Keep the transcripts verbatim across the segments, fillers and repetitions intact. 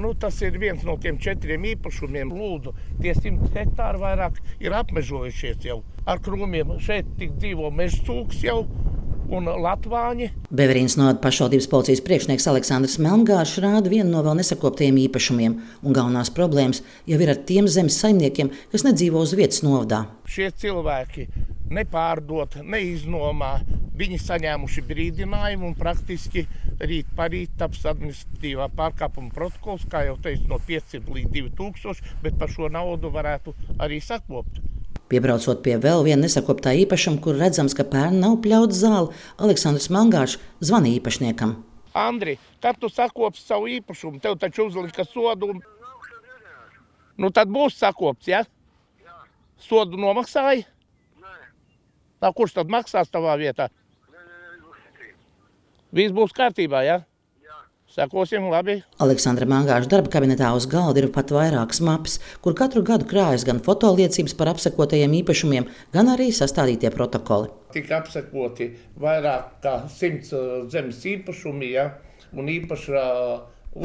nu, tas ir viens no tiem četriem īpašumiem. Lūdzu, tie simt hektāri vairāk ir apmežojušies jau ar krūmiem. Šeit tik dzīvo meža cūks jau un latvāņi. Beverīnas novada pašvaldības policijas priekšnieks Aleksandrs Melngāršs rāda vienu no vēl nesakoptajiem īpašumiem, un galvenās problēmas jau ir ar tiem zemes saimniekiem, kas nedzīvo uz vietas novadā. Šie cilvēki nepārdot, neiznomā, viņi saņēmuši brīdinājumu un praktiski rīt parīt taps administratīvā pārkāpuma protokols, kā jau teicu, no piecsimt līdz divi tūkstoši, bet par šo naudu varētu arī sakopt. Piebraucot pie vēl viena nesakoptā īpašuma, kur redzams, ka pērn nav pļauts zāle, Aleksandrs Melngāršs zvana īpašniekam. Andri, kad tu sakopsi savu īpašumu, tev taču uzlika sodu. Nu tad būs sakopts, ja? Jā. Sodu nomaksāji? Nē. Tā, kurš tad maksās tavā vietā? Nē, nē, nē. Viss būs kārtībā, ja? Sekosim, labi. Aleksandra Melngāršs darba kabinetā uz galda ir pat vairākas mapas, kur katru gadu krājas gan fotoliecības par apsekotajiem īpašumiem, gan arī sastādītie protokoli. Tika apsekoti vairāk kā simts zemes īpašumi, ja, un īpaša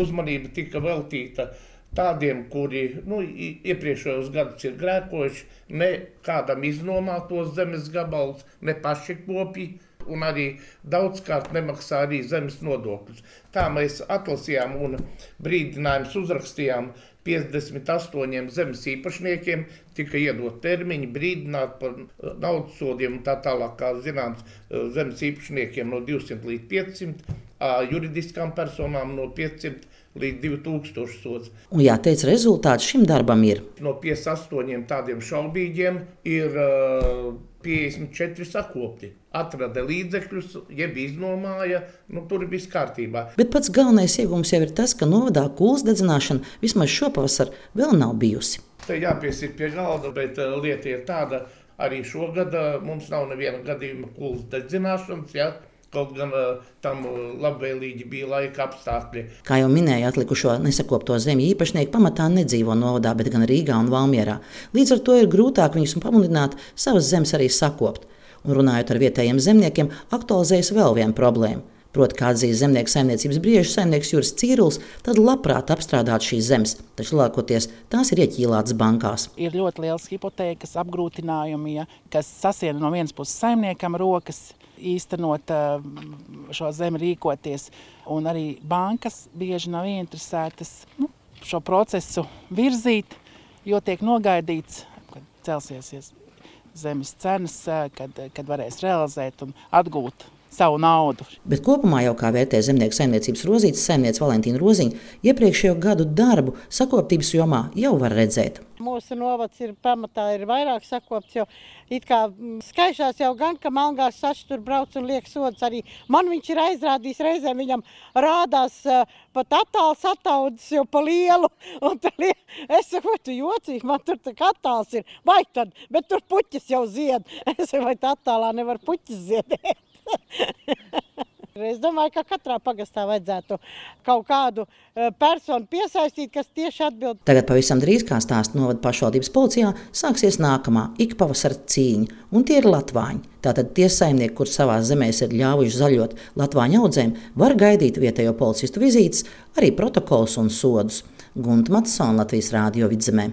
uzmanība tika veltīta tādiem, kuri nu, iepriekšējos gadus ir grēkojuši, ne kādam iznomā tos zemes gabalus, ne paši kopī. Un arī daudzkārt nemaksā arī zemes nodokļus. Tā mēs atlasījām un brīdinājumus uzrakstījām piecdesmit astoņiem zemes īpašniekiem, tika iedot termiņi, brīdināt par naudas sodiem un tā tālāk, kā zināms, zemes īpašniekiem no divsimt līdz piecsimt, juridiskām personām no piecsimt līdz divi tūkstoši sods. Un jāteic, rezultāts šim darbam ir. No piecdesmit astoņiem tādiem šaubīgiem ir uh, piecdesmit četri sakopti. Atrada līdzekļus, jeb iznomāja, nu tur ir viss kārtībā. Bet pats galvenais iegūms jau ir tas, ka novadā kūlas dedzināšana vismaz šopavasar vēl nav bijusi. Te jāpiesīt pie galda, bet uh, lieta ir tāda, arī šogad uh, mums nav neviena gadījuma kūlas dedzināšanas, ja? Kaut gan uh, tam labvēlīgi bija laika apstākļi. Kā jau minēja, atlikušo nesakopto zemju īpašnieki pamatā nedzīvo novadā, bet gan Rīgā un Valmierā. Līdz ar to ir grūtāk viņus pamudināt savas zemes arī sakopt. Un runājot ar vietējiem zemniekiem, aktualizējas vēl viena problēma. Proti, kā atzīst zemnieku saimniecības briežu saimnieks Juris Cīruls, tad labprāt apstrādāt šīs zemes, taču lielākoties tās ir ieķīlātas bankās. Ir ļoti liels hipotēkas apgrūtinājumi, ja, kas sasiena no vienas puses saimniekam rokas, īstenot šo zemi rīkoties, un arī bankas bieži nav ieinteresētas nu, šo procesu virzīt, jo tiek nogaidīts, kad celsies zemes cenas, kad, kad varēs realizēt un atgūt savu naudu. Bet kopumā jau, kā vērtē zemnieku saimniecības rozītes saimniece Valentīna Roziņa, iepriekšējo gadu darbu sakoptības jomā jau var redzēt. Mūsu novads ir pamatā ir vairāk sakopts, jo it kā skaišās jau gan, ka Melngāršs saši tur brauc un liek sodas arī. Man viņš ir aizrādījis reizēm, viņam rādās uh, pat attāls attaudzis jau pa lielu. Un liek, es saku, vai tu jocīgi, man tur tā attāls ir. Vai tad, bet tur puķis jau zied. Es saku, vai tā attālā nevar puķis ziedēt. Es domāju, ka katrā pagastā vajadzētu kaut kādu personu piesaistīt, kas tieši atbild. Tagad pavisam drīz, kā stāsta novada pašvaldības policijā, sāksies nākamā ikpavasara cīņa, un tie ir latvāņi. Tātad tie saimnieki, kur savās zemēs ir ļāvuši zaļot latvāņu audzēm, var gaidīt vietējo policistu vizītes, arī protokols un sodus. Gunta Matsona, Latvijas Rādio Vidzemē.